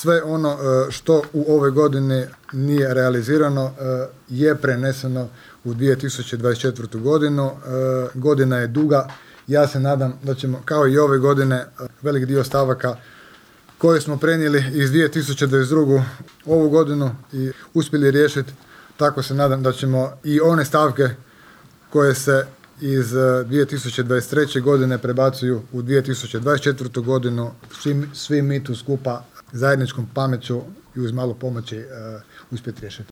sve ono što u ovoj godini nije realizirano je preneseno u 2024. godinu. Godina je duga. Ja se nadam da ćemo kao i ove godine velik dio stavaka koje smo prenijeli iz 2022. ovu godinu i uspjeli riješiti. Tako se nadam da ćemo i one stavke koje se iz 2023. godine prebacuju u 2024. godinu, svi mi tu skupa zajedničkom pameću i uz malo pomoći uspjeti riješiti.